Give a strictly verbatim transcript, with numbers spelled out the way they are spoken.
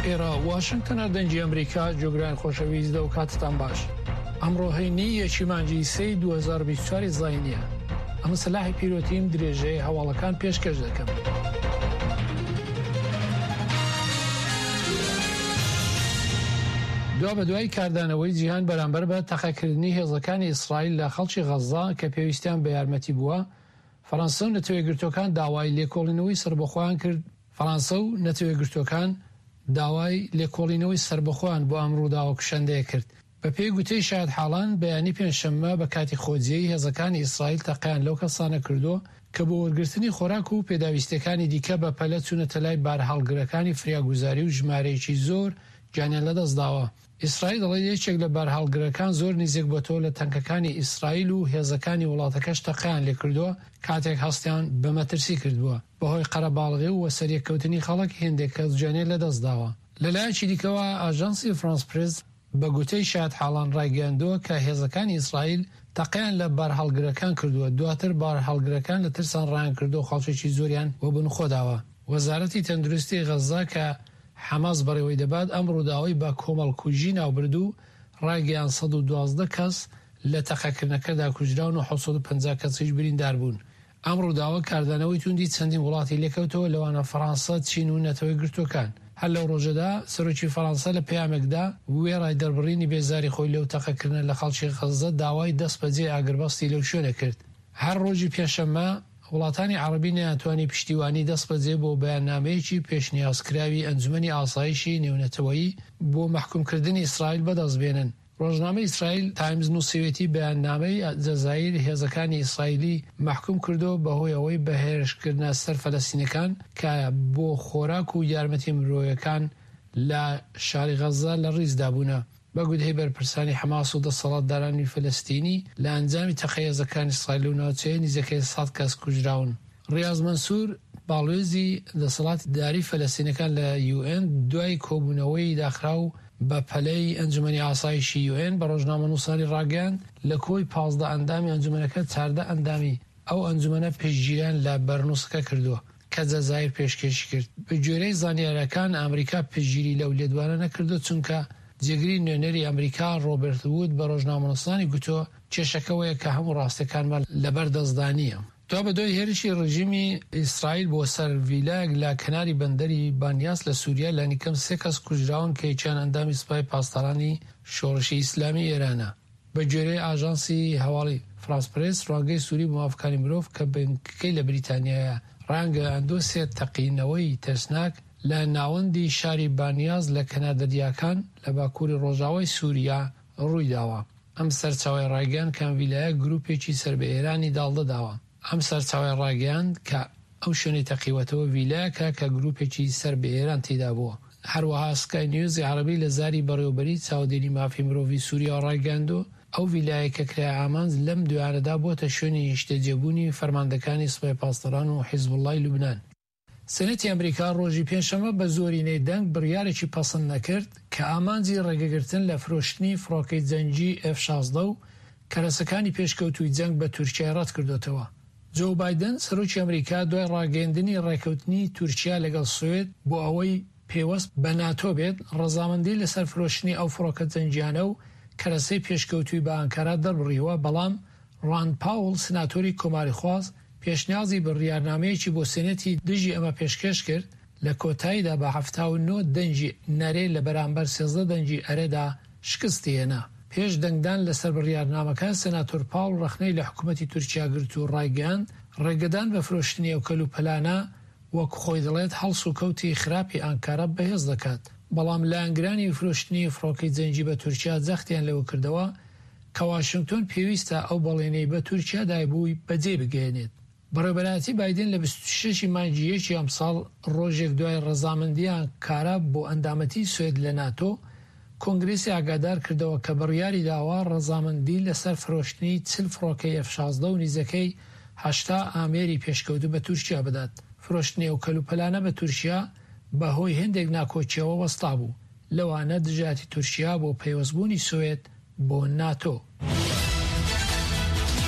ئێرە واشنگتنە، دەنگی ئەمریکا. جۆگران خۆشەویست، دەو کاتتان باش. ئەمڕۆ هەینی یەکی مانگی سێی دوو هەزار و بیست و چوار زاینیە. ئەمە سەلاحی پیرۆتیم، درێژەی هەواڵەکان پێشکەش دەکەم. دوا بە دوای کاردانەوەی جیهان بەرامبەر بە تەقەکردنی هێزەکانی ئیسرائیل لە خەڵکی غەززە کە پێویستیان بە یارمەتی بووە، فەرەنسا و نەتەوەیەکگرتووەکان داوای لێکۆڵینەوەی سەربەخۆیان کرد. فەرەنسا و نەتەوەیەکگرتووەکان داوای لێکۆڵینەوەی سەربەخۆیان بۆ ئەم ڕووداوە کوشندەیە کرد. بەپێی گوتەی شایەتحاڵان، بەیانی پێنجشەممە بە کاتی خۆجێی هێزەکانی ئیسرائیل تەقەیان لەو کەسانە کردووە کە بۆ وەرگرتنی خۆراک و پێداویستیەکانی دیکە بە پەلە چوونەتە لای بارهەڵگرەکانی فریاگوزاری و ژمارەیەکی زۆر گیانیان لەدەستداوە. ئیسرائیل دەڵێت یەکێک لە بارهەڵگرەکان زۆر نزیک بۆتەوە لە تەنکەکانی ئیسرائیل و هێزەکانی وڵاتەکەش تەقەیان لێکردووە کاتێک هەستیان بە مەترسی کردبووە. بەهۆی قەرەباڵغی و وەسەریەککەوتنی خەڵک هێندێک کەس گیانیان لەدەستداوە. لەلایەکی دیکەوە ئاژانسی فرانس پرێس بە گوتەی شایەتحاڵان ڕایگەیاندووە کە هێزەکانی ئیسرائیل تەقەیان لە بارهەڵگرەکان کردووە، دواتر بارهەڵگرەکان لە ترسان ڕایانکردووە خەڵکێکی زۆریان وەبن خۆداوە. وەزارەتی تەندروستی غەززە کە حەماس بەڕێوەی دەبات ئەم ڕووداوەی بە کۆمەڵکوژی ناوبرد و ڕایگەیاند سەد و دوازدە کەس لە تەقەکردنەکەدا کوژراون و حەوت سەد و پەنجا کەسیش بریندار بوون. ئەم ڕووداوە کاردانەوەی توندی چەندین وڵاتی لێکەوتەوە لەوانە فەرەنسا، چین و نەتەوەیەکگرتووەکان. هەر لەو ڕۆژەدا سەرۆکی فەرەنسا لە پەیامێکدا وێڕای دەربڕینی بێزاری خۆی لەو تەقەکردنە لە خەڵکی غەززە داوای دەستبەجێ ئاگربەستی لەو شوێنە کرد. هەر ڕۆژی پێنجشەممە وڵاتانی عەڕەبی نەیانتوانی پشتیوانی دەستبەجێ بۆ بەیاننامەیەکی پێشنیازکراوی ئەنجومەنی ئاسایشی نێونەتەوەیی بۆ مەحکومکردنی ئیسرائیل بەدەست بێنن. ڕۆژنامەی ئیسرائیل تایمز نووسیوێتی بەیاننامەی جەزائیر هێزەکانی ئیسرائیلی مەحکوم کردووە بەهۆی ئەوەی بە هێرشکردنە سەر فەلەستینەکان کە بۆ خۆراک و یارمەتی مرۆیەکان لە شاری غەززە لە ڕیزدا بوونە. بە گوتەی بەرپرسانی حەماس و دەسەڵاتدارانی فەلەستینی لە ئەنجامی تەقەی هێزەکانی ئیسرائیل لەو ناوچەیە نزیکەی سەد کەس کوژراون. ڕیاز مەنسور باڵوێزی دەسەڵاتداری فەلەستینەکان لە یوئێن دوای کۆبوونەوەی داخراو بە پەلەی ئەنجومەنی ئاسایشی یوئێن بە ڕۆژنامەنووسانی ڕاگەیاند لە کۆی پازدە ئەندامی ئەنجومەنەکە چاردە ئەندامی ئەو ئەنجومەنە پشتگیریان لە بەرنووسەکە کردووە کە جەزائیر پێشکێشی کرد. بە گوێرەی زانیاریەکان ئەمریکا پشتگیری لەو لێدوانە نەکردووە چونکە جێگری نوێنەری ئەمریکا ڕۆبەرت وود بە ڕۆژنامەنووسانی گوتووە کێشەکەوەیە کە هەموو ڕاستیەکانمان لەبەر دەستدا نییە. دوابەدوای هێرشی ڕژیمی ئیسرائیل بۆ سەر ڤیلایەک لە کەناری بەندەری بانیاس لە سوریا لانیکەم سێ کەس کوژراون کە یەکیان ئەندامی سوپای پاسدارانی شۆڕشی ئیسلامی ئێرانە. بە گوێرەی ئاژانسی هەواڵی فرانس پرێس، ڕوانگەی سوری بۆ مافەکانی مرۆڤ کە بنکەکەی لە بریتانیایە ڕایانگەیاندووە سێ تەقینەوەی ترسناک لە ناوەندی شاری بانیاس لە کەنار دەریاکان لە باکووری ڕۆژاوای سوریا ڕوویداوە. ئەم سەرچاوەیە ڕایگەیاند کە ئەم ڤیلایە گروپێکی سەر بە ئێرانی داڵدە داوە. ئەم سەرچاوەیە ڕایگەیاند کە ئەو شوێنەی تەقیوەتەوە ڤیلایەکە کە گروپێکی سەر بە ئێران تێیدا بووە. هەروەها سکای نیوزی عەرەبی لە زاری بەڕێوەبەری چاودێری مافی مرۆڤی سوریاوە ڕایگەیاندووە ئەو ڤیلایەی کە کرایە ئامانج لەم دوایانەدا بووەتە شوێنی نیشتەجێبوونی فەرماندەکانی سوپای پاسداران و حیزبوڵڵای لوبنان. سێنەتی ئەمریکا ڕۆژی پێنجشەممە بە زۆرینەی دەنگ بڕیارێکی پەسند نەکرد کە ئامانجی ڕێگەگرتن لە فرۆشتنی فڕۆکەی جەنگی ئێف شازدە و کەرەسەکانی پێشکەوتووی جەنگ بە تورکیای ڕەتکردۆتەوە. جۆ بایدن سەرۆکی ئەمریکا دوای ڕاگەیەندنی ڕێکەوتنی تورکیا لەگەڵ سوێد بۆ ئەوەی پەیوەست بە ناتۆ بێت، ڕەزامەندی لەسەر فرۆشتنی ئەو فڕۆکە جەنگیانە و کەرەسەی پێشکەوتووی بە ئانکارا دەربڕیوە، بەڵام ڕاند پاوڵ سناتۆری کۆماریخواز پێشنیازی بڕیارنامەیەکی بۆ سێنێتی دژی ئەمە پێشکێش کرد، لە کۆتاییدا بە حەفتا و نۆ دەنگی نەرێ لە بەرامبەر سێزدە دەنگی ئەرێدا شکستی هێنا. پێش دەنگدان لەسەر بڕیارنامەکە سێناتۆر پاوڵ ڕەخنەی لە حکوومەتی تورکیا گرت و ڕایگەیاند ڕێگەدان بە فرۆشتنی ئەو کەلوپەلانە وەک خۆی دەڵێت هەڵس و کەوتی خراپی ئانکارا بەهێز دەکات. بەڵام لایەنگرانی فرۆشتنی فڕۆکەی جەنگی بە تورکیا جەختیان لەوە کردەوە کە واشنگتۆن پێویستە ئەو بەڵێنەی بە تورکیا دایبووی بەجێ بگەیەنێت. بەڕێوەبەرایەتی بایدن لە بیست و شەش ی مانگی یەکی ئەمساڵ ڕۆژێک دوای ڕەزامەندی ئانکارا بۆ ئەندامەتی سوێد لە ناتۆ، کۆنگرێسی ئاگادار کردەوە کە بڕیاری داوە ڕەزامەندی لەسەر فرۆشتنی چل فڕۆکەی ئێف شازدە و نزیکەی هەشتا ئامێری پێشکەوتوو بە تورکیا بدات. فرۆشتنی ئەو کەلوپەلانە بە تورکیا بەهۆی هێندێک ناکۆکیەوە وەستابوو، لەوانە دژایەتی تورکیا بۆ پەیوەستبوونی سوێد بۆ ناتۆ.